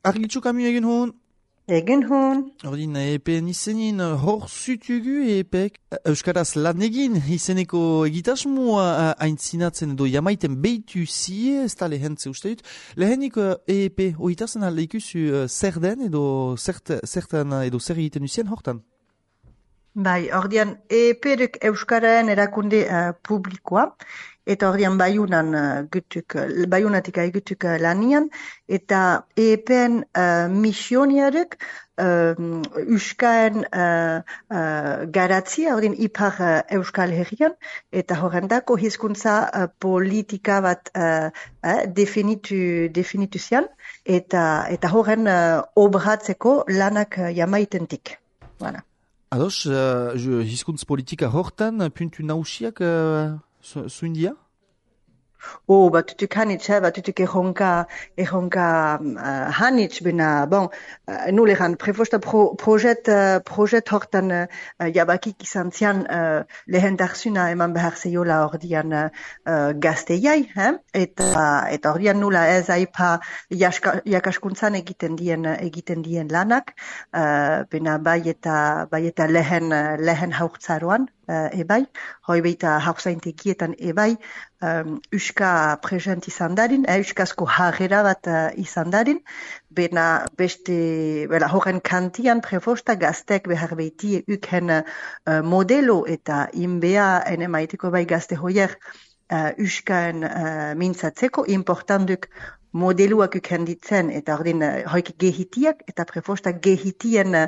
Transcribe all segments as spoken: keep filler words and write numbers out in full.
Argitxo Kamu egin hon? Egin hon. Ordin, epen izenin hor zutugu epek Euskaraz lan egin izeneko egitasmoa aintzinatzen edo jamaiten behitu zie, ez da lehentze uste dut. Lehenik E P oitazen alde ikusu zer den edo zertan edo zer egiten usien hortan? Bai, ordian E P-duk Euskararen erakunde uh, publikoa, eta ordian baiunan uh, gutuk, baiunatik aigutuk uh, lanian, eta E P-en uh, misioniaruk uh, Euskaren uh, uh, garatzia, ordian ipar uh, Euskal Herrian, eta horrendako hizkuntza uh, politika bat uh, uh, definitu, definitu zian, eta, eta horren uh, obratzeko lanak uh, jamaitentik. Voilà. Ados, uh, hizkuntz politika hortan, puntu nausiak uh, zuindia? Oh, batutuk hanitz, eh, batutuk erronka, erronka uh, hanitz, bena, bon, uh, nuleran, prefosta pro, projet, uh, projet hortan uh, jabakik izan zian uh, lehen darzuna eman behar zeiola ordian uh, gazteiai, eh? eta, eta ordian nula ez aipa jaska, jakaskuntzan egiten dien, egiten dien lanak, uh, bena bai eta, bai eta lehen, lehen haurtzaroan, uh, ebai, hoi beita haurzaintekietan ebai, Um, Euska present izan darin, eh, Euskazko harrera bat uh, izan darin, bena beste, bela, horren kantian prefosta gaztek behar behiti uken uh, modelo eta inbea ene maiteko bai gazte hoier uh, Euskaen uh, mintzatzeko, importanduk modeluak uken ditzen, eta ordin uh, hoik gehitiak, eta prefosta gehitien uh,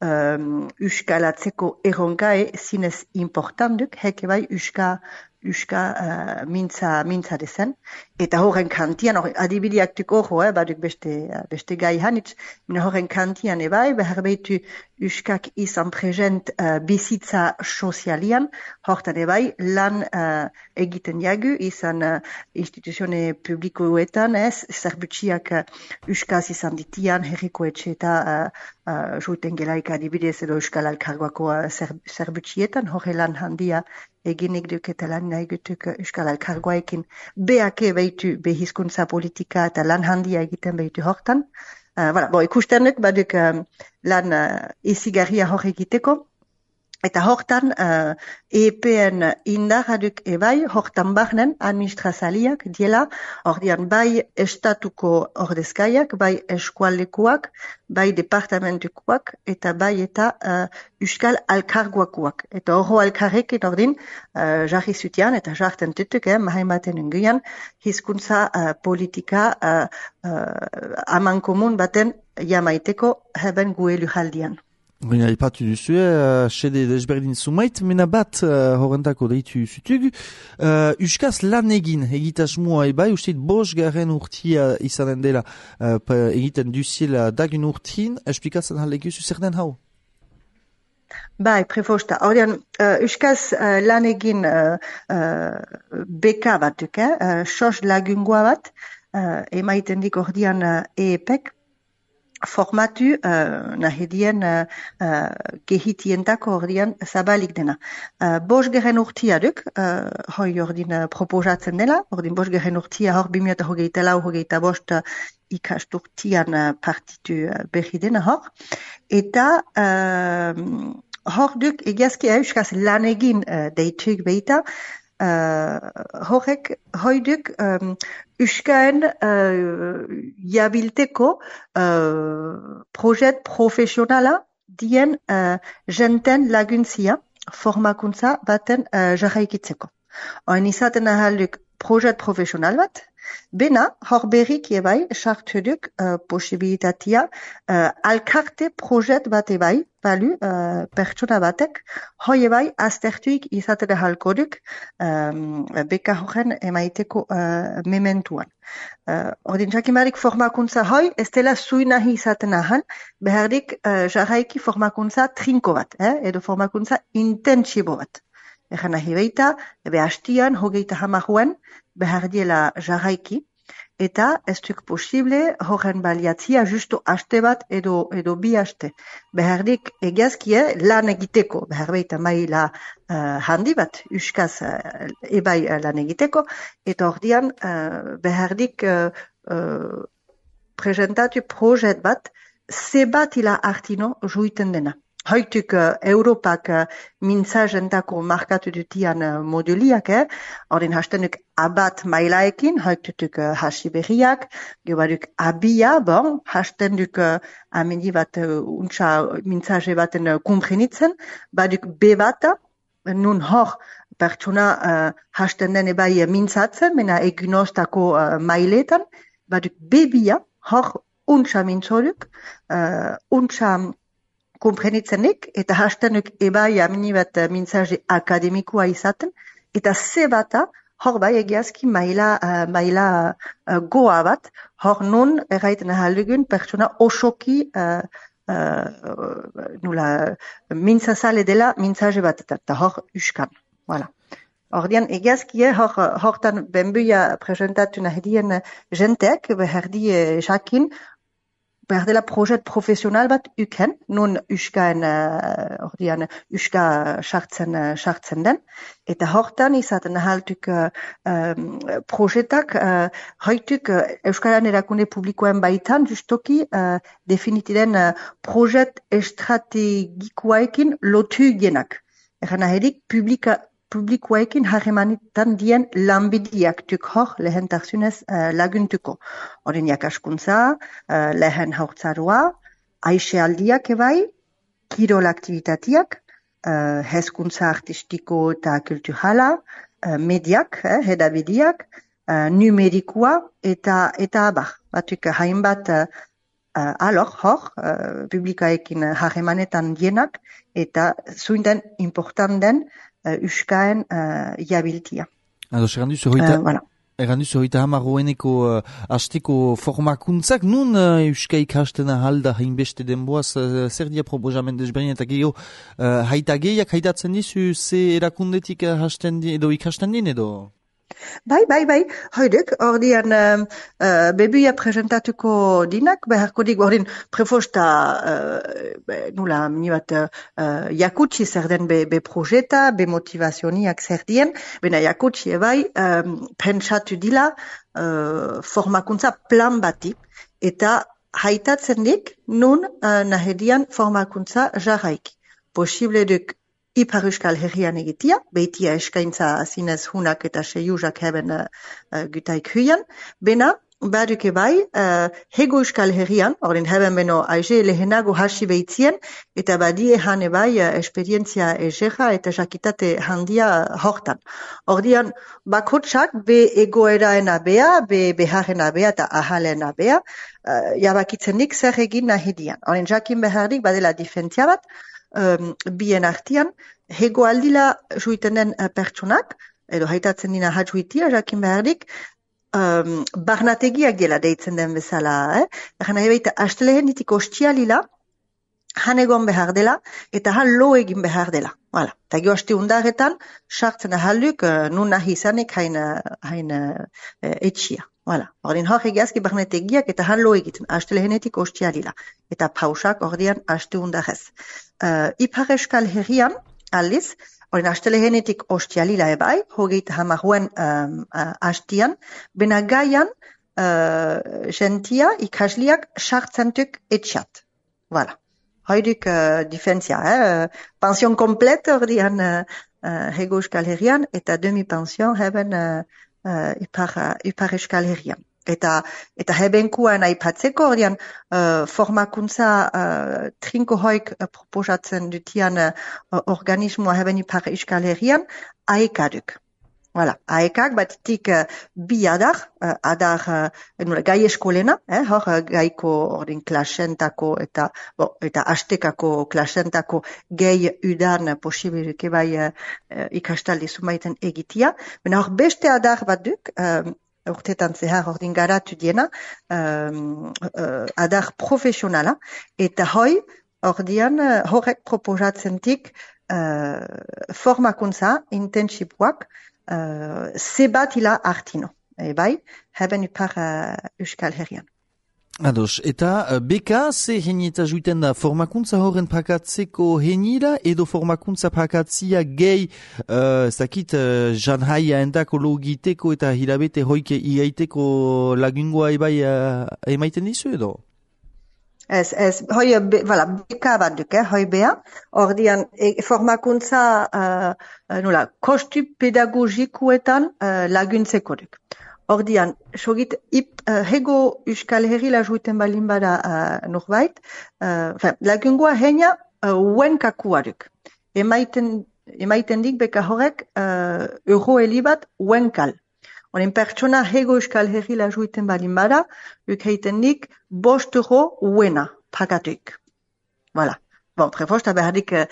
um, Euskalatzeko erronkae zinez importanduk, heke bai Euska Euska uh, mintza, mintza dezen. Eta horren kantian, or, adibideak duk orro, eh, baduk beste, beste gai hanitz, mina horren kantian ebai, behar behitu Euskak izan present uh, bizitza sozialian, hortan ebai, lan uh, egiten jagu, izan uh, instituzione publikoetan, ez, zerbutxiak uh, Euskaz izan ditian, herriko etxe eta uh, uh, joiten gelaik adibidez edo Euskal Alkargoako uh, zerbutxietan, horre lan handia eginik duk eta lan nahi gutuk Euskal Alkargoaekin beake behitu behizkuntza politika eta lan handia egiten behitu hortan. Uh, voilà, bo, ikustenuk baduk um, lan uh, izigarria hor egiteko. Eta hortan uh, E P-en indarraduk ebai, hortan barnen administrazaliak diela, ordian bai estatuko ordezkaiak, bai eskualekuak, bai departamentukoak, eta bai eta uh, Euskal Alkargoakoak. Eta horro alkarrekin ordin, uh, jarri zutian, eta jarten tutuk, eh, mahaimaten unguian, hizkuntza uh, politika uh, uh, aman komun baten jamaiteko heben gue lujaldian. Baina ipatu duzu, uh, sede desberdin zumait, mena bat uh, horrentako deitu zutugu. Uh, Euskaz lan egin egitasmoa ebai, usteit bos garen urtia izanen dela uh, egiten duziela dagun urtin, esplikatzen halekuzu zer den hau? Bai, prefosta. Ordean, uh, Euskaz uh, lan egin uh, uh, beka batuk, eh? uh, sos lagungoa bat, uh, emaiten dik ordean uh, E E P-ek, formatu uh, nahedien uh, uh, gehitientako ordian zabalik dena. Uh, bos geren urtia duk, uh, hoi ordin uh, proposatzen dela, ordin bos geren urtia hor bimiota hogeita lau, hogeita bost uh, ikasturtian uh, partitu uh, berri dena hor. Eta uh, hor duk egiazki euskaz lan egin uh, deituk behita, Uh, horrek, hoiduk, um, Euskaen uh, jabilteko uh, projet profesionala dien uh, jenten laguntzia formakuntza baten uh, jarraikitzeko. Oin izaten ahalduk projet profesional bat, bena, hor berrik ebai, sartuduk uh, posibilitatea uh, alkarte projet bat ebai, balu, uh, pertsona batek, hoi ebai, aztertuik izaten ahalkoduk um, beka horren emaiteko uh, mementuan. Uh, ordin jakimarik formakuntza hoi, ez dela zui nahi izaten ahal, behardik uh, jarraiki formakuntza trinko bat, eh? edo formakuntza intentsibo bat. Egan nahi beita, ebe hastian, hogeita hamaruen, behar diela jarraiki, eta ez duk posible horren baliatzia justo haste bat edo, edo bi haste. Behardik egiazkie lan egiteko, behar beita maila uh, handi bat, Euskaz uh, ebai uh, lan egiteko, eta ordian uh, behardik uh, uh, presentatu projet bat, zebat ila artino juiten dena. Hoituk uh, Europak uh, mintzazentako markatu dutian uh, moduliak, eh? Horren hastenuk abat mailaekin, hoitutuk uh, hasi berriak, gebaduk abia, bon, hastenuk uh, ameni bat uh, untsa mintzaze baten uh, kumprenitzen, baduk be bata, nun hor pertsona uh, hasten den ebai mintzatzen, mena egunostako uh, mailetan, baduk bebia, hor untsa mintzoluk, uh, untsa komprenitzenik, eta hastenuk ebai amini bat mintzaje akademikoa izaten, eta ze bata, hor bai egiazki maila, uh, maila uh, goa bat, hor nun erraiten ahaldugun pertsona osoki uh, uh, nula mintzazale dela mintzaje bat, eta hor uskan. Voilà. Ordian egiazki, hor, hortan benbuia presentatu nahidien jenteak, beherdi jakin, behar dela projet profesional bat uken, nun uskaen, uh, ordian, uska sartzen, uh, sartzen den, eta hortan izaten ahaltuk uh, um, projetak, uh, hoituk uh, Euskaran erakunde publikoen baitan, justoki, uh, definitiren uh, projet estrategikoaekin lotu genak. Eran aherik, publika, publikoekin harremanetan dien lanbidiak tuk hor lehentarsunez uh, laguntuko. Horren jakaskuntza, uh, lehen haurtzaroa, aisealdiak ebai, kirol aktivitatiak, uh, hezkuntza artistiko eta kulturala, uh, mediak, eh, hedabidiak, uh, numerikoa eta eta abar. Batuk hainbat uh, uh, alor hor, uh, publikaekin harremanetan dienak, eta zuinten important den Uh, uskaen uh, jabiltia. Ados, egan duzu hoita, uh, voilà. egan duzu hoita hamar hoeneko uh, hasteko formakuntzak, nun uh, euska ikasten ahalda hainbeste denboaz, uh, zer dia proposamen desberdin eta gehiago, uh, haita gehiak haitatzen dizu, ze erakundetik uh, hasten di, edo ikasten din edo? Bai, bai, bai, hoiduk, ordian uh, uh, bebuia presentatuko dinak, beharko dik, ordin prefosta uh, nula, mini bat uh, jakutsi zer den be, be projeta, be motivazioniak zer dien, bena jakutsi ebai um, pentsatu dila uh, formakuntza plan bati, eta haitatzen dik nun uh, nahedian formakuntza jarraiki. Posible duk Ipar Euskal Herrian egitia, behitia eskaintza zinez hunak eta seiuzak heben uh, uh, gutaik huian, bena baduke bai, uh, hego Euskal Herrian, horren heben beno aize lehenago hasi behitzien, eta badie hane bai uh, esperientzia ezeja eta jakitate handia hortan. Ordian, bakotsak be egoeraena bea, be beharrena bea eta ahalena bea, uh, jabakitzenik zer egin nahidian. Horren jakin beharrik badela difentzia bat, Um, bien artian, hego aldila juiten den uh, pertsonak, edo haitatzen dina hatjuitia, jakin behardik, um, barnategiak dela deitzen den bezala. Eh? Egan nahi baita, astelehenitik ostialila, han egon behar dela, eta han lo egin behar dela. Voilà. Eta gio aste undaretan, sartzen ahalduk, uh, nun nahi izanik hain, hain uh, etxia. Voilà. Ordin hor egiazki barnetegiak eta han lo egiten, astelehenetik ostialila. Eta pausak ordian aste undarez. Uh, Ipar Euskal Herrian, aldiz, ordin astelehenetik ostialila ebai, hogeita hamaruen um, uh, hastian, bena gaian uh, gentia ikasliak sartzentuk etxat. Voilà. Hoiduk uh, difentzia, eh? Pension komplet ordian uh, uh, hego Euskal Herrian, eta demi-pension hebben uh, Uh, ipar, uh, ipar Euskal Herrian. Eta, eta hebenkuan aipatzeko, ordian, uh, formakuntza uh, trinko hoik uh, proposatzen dutian uh, organismoa heben ipar Euskal Herrian, aekaduk. Voilà, aekak batitik uh, bi adar, uh, adar uh, gai eskolena, eh, hor uh, gaiko ordin klasentako eta, bo, eta astekako klasentako gehi udan posibiluke bai uh, ikastaldi zumaiten egitia. Bena hor beste adar bat duk, um, urtetan zehar ordin garatu diena, um, uh, adar profesionala, eta hoi ordian uh, horrek proposatzentik uh, formakuntza intensiboak Uh, zebat ila artino, e bai, heben ipar uh, Euskal Herrian. Ados, eta beka ze henieta juiten da formakuntza horren pakatzeko henira edo formakuntza pakatzia gehi uh, ez dakit uh, janhaia entako logiteko eta hilabete hoike iaiteko lagungoa ebai uh, emaiten dizu edo? Ez, ez, hoi, be, voilà, beka bat duk, eh, hoi bea, ordian, e, formakuntza, uh, nola, kostu pedagogikuetan uh, laguntzeko duk. Ordian, sogit, ip, uh, hego Euskal Herrila juiten balin bada uh, norbait, uh, lagungoa heina uh, uenkakua duk. Emaiten, emaiten dik beka horrek uh, euro elibat uenkal. Horen pertsona hego Euskal Herrila juiten balin bada, uk heiten dik bost euro uena pagatuik. Voilà. Bon, prefosta behardik uh,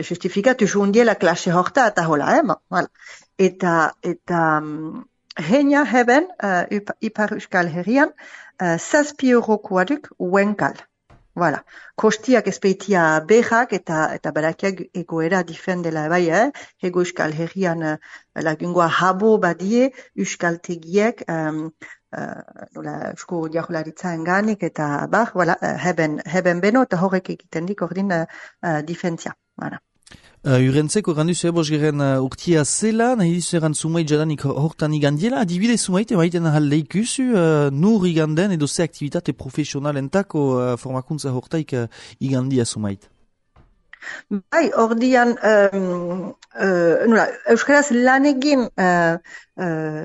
justifikatu juundiela klase horta eta hola, eh? Bon, voilà. Eta, eta, um, heina heben, uh, ipar Euskal Herrian, uh, zazpi eurokoa duk uenkal. Voilà. Kostiak espeitia behak eta eta berakiak egoera difendela bai, eh? Hego Euskal Herrian uh, lagungoa habo badie euskaltegiek um, uh, nola eusko jaurlaritza enganik eta bar, voilà, uh, heben, heben beno eta horrek egiten dik ordin uh, uh, difentzia. Voilà. Uh, Urentzeko gandu zure bosgeren uh, urtia zela, nahi dizu eran sumait jadanik hortan igandiela, adibide sumait emaiten ahal leikuzu uh, nur iganden edo ze aktivitate profesionalentako uh, formakuntza hortaik uh, igandia sumait. Bai, ordian, um, uh, nola, euskaraz lan egin uh, uh,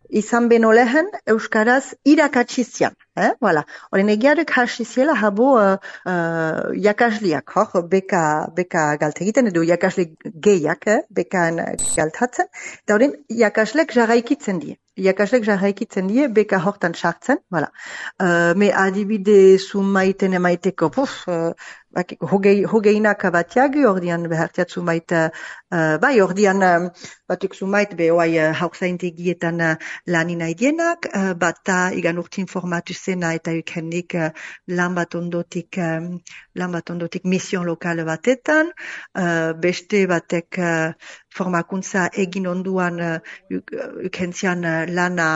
izan beno lehen, euskaraz irakatsizian. Eh? Voilà. Oren egiarek hasiziela habo uh, uh, jakasliak, hor, beka, beka galte egiten, edo jakasle gehiak, eh? Bekaan galtatzen, eta oren jakaslek jarraikitzen die. Jakaslek jarraikitzen die, beka hortan sartzen, voilà. Uh, me adibide zumaiten emaiteko, puf, uh, hogei, hogeinak batiagu, ordian behartiat zumait, uh, bai, ordian um, batuk zumait, behoai uh, haukzaintegietan uh, lanin aidienak, uh, bata igan urtin formatu zena eta ukendik uh, lan bat ondotik, um, lan bat ondotik mission lokal batetan, uh, beste batek uh, formakuntza egin onduan uh, ukentzian uh, lana,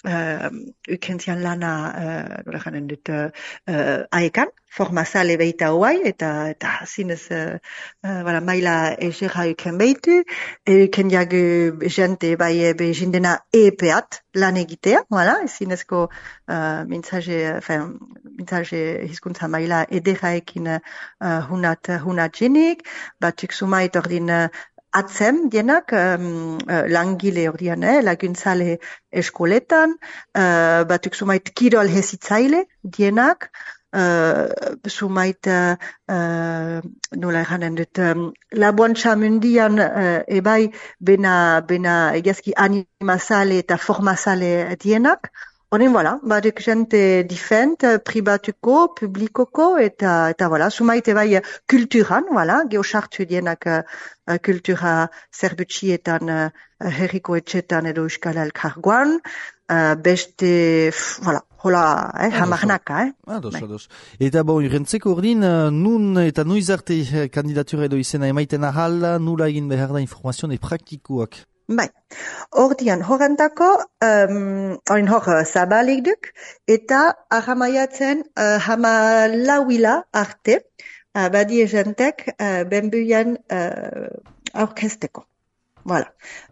uh, ukentzian lana, uh, nola janen dut, uh, uh, aekan, formazale beita hoai, eta, eta zinez, uh, uh, voilà, maila ezera uken beitu, uken jagu jente bai be jindena epeat lan egitea, voilà, zinezko uh, mintzaje, enfin, mintzaje hizkuntza maila ederaekin uh, hunat, hunat jenik, batuk sumait ordin uh, atzem dienak, um, uh, langile ordian, eh, laguntzale eskoletan, uh, batuk sumait kirol hezitzaile dienak, Uh, sumait uh, uh, nola eranen dut um, laboantxa mundian uh, ebai bena, bena egazki animazale eta formazale dienak. Honen, voilà, baduk jente difent, pribatuko, publikoko, eta, eta voilà, sumait ebai kulturan, voilà, geosartu dienak uh, kultura zerbutxietan uh, herriko etxetan edo euskal elkargoan, uh, beste, voilà, hola, eh, hamarnaka, eh? Ados, ados. Eta bon, urentzeko ordin, nun eta nuiz arte kandidatura edo izena emaiten ahal, nula egin behar da informazioa praktikoak? Bai, ordian horrentako, um, orin hor zabalik duk, eta ahamaiatzen uh, hama lauila arte, uh, badie jentek uh, benbuian uh, aurkesteko. Voilà.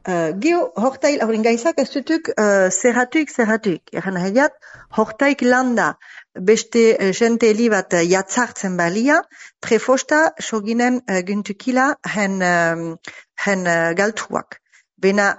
Uh, Geo, hortail, haurin gaizak ez dutuk uh, zerratuik, zerratuik. Egan nahiat, hortaik landa beste uh, jente heli bat uh, jatzartzen balia, prefosta soginen uh, guntukila hen, um, hen uh, galtuak. Bena,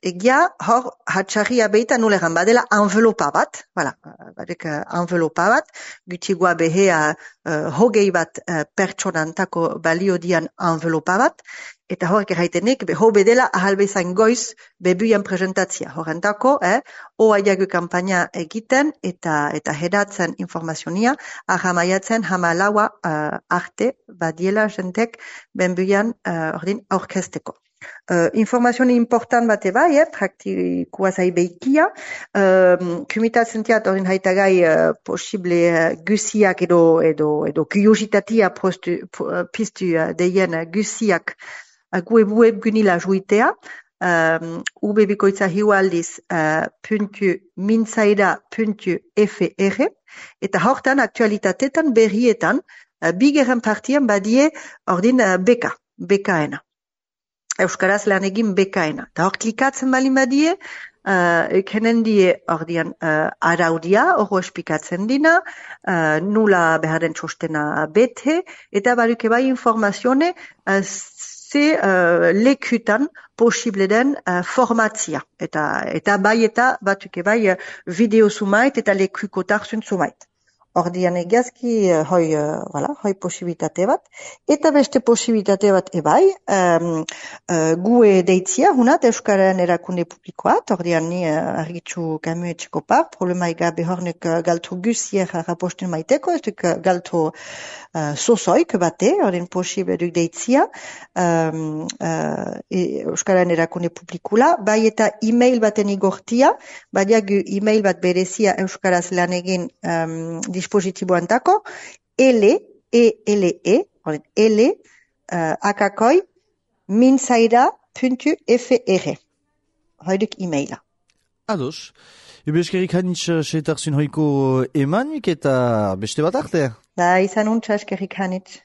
egia, hor, hatxarria beita nuleran badela envelopa bat, voilà, badek uh, envelopa bat, gutigoa behea uh, hogei bat uh, pertsonantako balio dian envelopa bat, eta horrek erraitenik, beho bedela ahalbezain goiz bebuian presentatzia. Horrentako, eh, oa jagu kampaina egiten eta eta hedatzen informazionia, ahamaiatzen hamalaua uh, arte badiela jentek benbuian uh, ordin aurkesteko. Uh, informazioni important bate bai, eh, praktikoa zai behikia, um, kumitatzen tiat ordin haitagai uh, posible uh, gusiak edo, edo, edo kuriositatia postu, piztu uh, deien uh, gusiak gue web gunila juitea, um, ubebikoitza hiu aldiz uh, puntu mintzaira puntu fr, eta hortan aktualitatetan berrietan, uh, bigarren partian badie ordin uh, beka, bekaena. Euskaraz lan egin bekaena. Eta hor klikatzen bali badie, uh, ekenen die ordian uh, araudia, hor espikatzen dina, uh, nula beharen txostena bete, eta baruke bai informazione uh, ze uh, lekutan posible den uh, formatzia. Eta, eta bai eta batuke bai uh, video zumait eta lekukotar zumait. Ordian egazki, uh, hoi, uh, voilà, hoi posibilitate bat. Eta beste posibilitate bat ebai, um, uh, gue deitzia, hunat, Euskararen erakunde publikoat, ordian ni uh, argitzu kamu etxeko par, problema egabe hornek uh, galtu guzier raposten maiteko, ez duk uh, galtu uh, sozoik bate, ordian posible duk deitzia, um, uh, e, Euskararen erakunde publikula, bai eta e-mail baten igortia, badiak e-mail bat berezia Euskaraz lan egin um, dispositiboan tako, ele, E-L-E, ele, uh, akakoi, mintzaira puntu fr. Hoiduk e-maila. Ados. Ebe eskerik hanitz seetarzun hoiko emanik eta beste bat arte. Da, izan untsa eskerik hanitz.